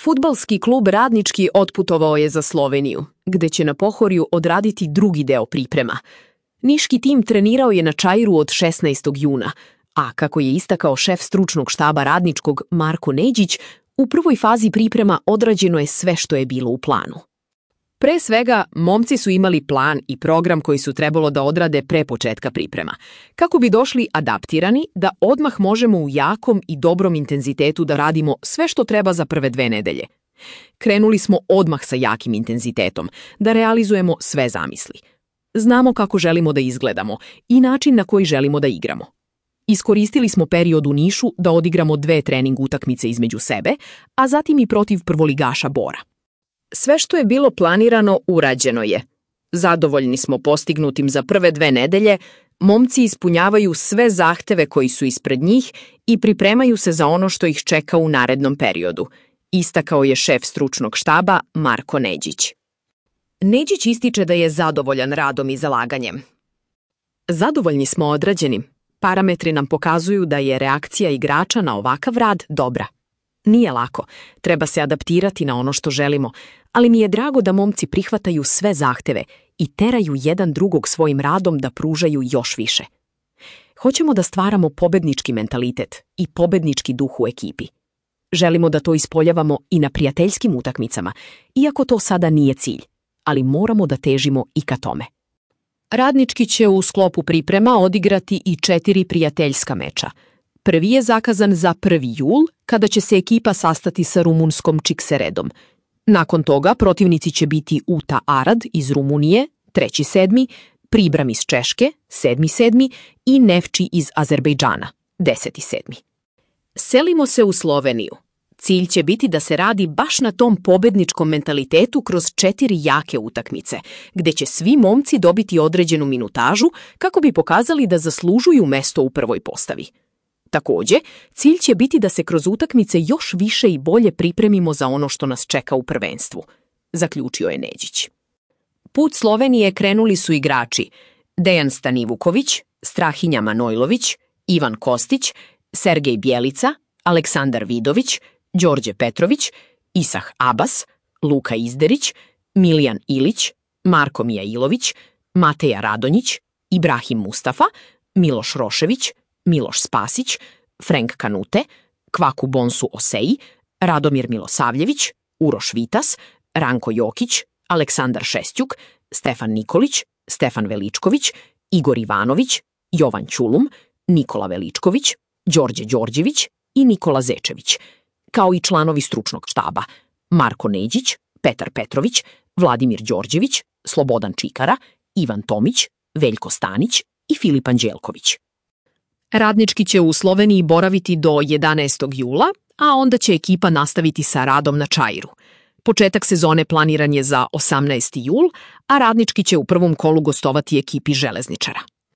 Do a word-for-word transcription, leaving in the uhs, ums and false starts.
Fudbalski klub Radnički otputovao je za Sloveniju, gde će na Pohorju odraditi drugi deo priprema. Niški tim trenirao je na Čairu od šesnaestog juna, a kako je istakao šef stručnog štaba Radničkog Marko Neđić, u prvoj fazi priprema odrađeno je sve što je bilo u planu. Pre svega, momci su imali plan i program koji su trebalo da odrade pre početka priprema, kako bi došli adaptirani da odmah možemo u jakom i dobrom intenzitetu da radimo sve što treba za prve dve nedelje. Krenuli smo odmah sa jakim intenzitetom, da realizujemo sve zamisli. Znamo kako želimo da izgledamo i način na koji želimo da igramo. Iskoristili smo period u Nišu da odigramo dve trening utakmice između sebe, a zatim i protiv prvoligaša Bora. Sve što je bilo planirano urađeno je. Zadovoljni smo postignutim za prve dve nedelje, momci ispunjavaju sve zahteve koji su ispred njih i pripremaju se za ono što ih čeka u narednom periodu, istakao je šef stručnog štaba Marko Neđić. Neđić ističe da je zadovoljan radom i zalaganjem. Zadovoljni smo odrađenim. Parametri nam pokazuju da je reakcija igrača na ovakav rad dobra. Nije lako, treba se adaptirati na ono što želimo, ali mi je drago da momci prihvataju sve zahteve i teraju jedan drugog svojim radom da pružaju još više. Hoćemo da stvaramo pobednički mentalitet i pobednički duh u ekipi. Želimo da to ispoljavamo i na prijateljskim utakmicama, iako to sada nije cilj, ali moramo da težimo i ka tome. Radnički će u sklopu priprema odigrati i četiri prijateljska meča. Prvi je zakazan za prvi jul, kada će se ekipa sastati sa rumunskom Čikseredom. Nakon toga protivnici će biti Uta Arad iz Rumunije, treći sedmi, Pribram iz Češke, sedmi sedmi i Nefči iz Azerbejdžana, deseti sedmi. Selimo se u Sloveniju. Cilj će biti da se radi baš na tom pobedničkom mentalitetu kroz četiri jake utakmice, gde će svi momci dobiti određenu minutažu kako bi pokazali da zaslužuju mesto u prvoj postavi. Takođe, cilj će biti da se kroz utakmice još više i bolje pripremimo za ono što nas čeka u prvenstvu, zaključio je Neđić. Put Slovenije krenuli su igrači Dejan Stanivuković, Strahinja Manojlović, Ivan Kostić, Sergej Bjelica, Aleksandar Vidović, Đorđe Petrović, Isah Abas, Luka Izderić, Milijan Ilić, Marko Mijailović, Mateja Radonjić, Ibrahim Mustafa, Miloš Rošević, Miloš Spasić, Frank Kanute, Kvaku Bonsu Oseji, Radomir Milosavljević, Uroš Vitas, Ranko Jokić, Aleksandar Šestjuk, Stefan Nikolić, Stefan Veličković, Igor Ivanović, Jovan Ćulum, Nikola Veličković, Đorđe Đorđević i Nikola Zečević, kao i članovi stručnog štaba Marko Neđić, Petar Petrović, Vladimir Đorđević, Slobodan Čikara, Ivan Tomić, Veljko Stanić i Filip Anđelković. Radnički će u Sloveniji boraviti do jedanaestog jula, a onda će ekipa nastaviti sa radom na Čairu. Početak sezone planiran je za osamnaesti jul, a Radnički će u prvom kolu gostovati ekipi Železničara.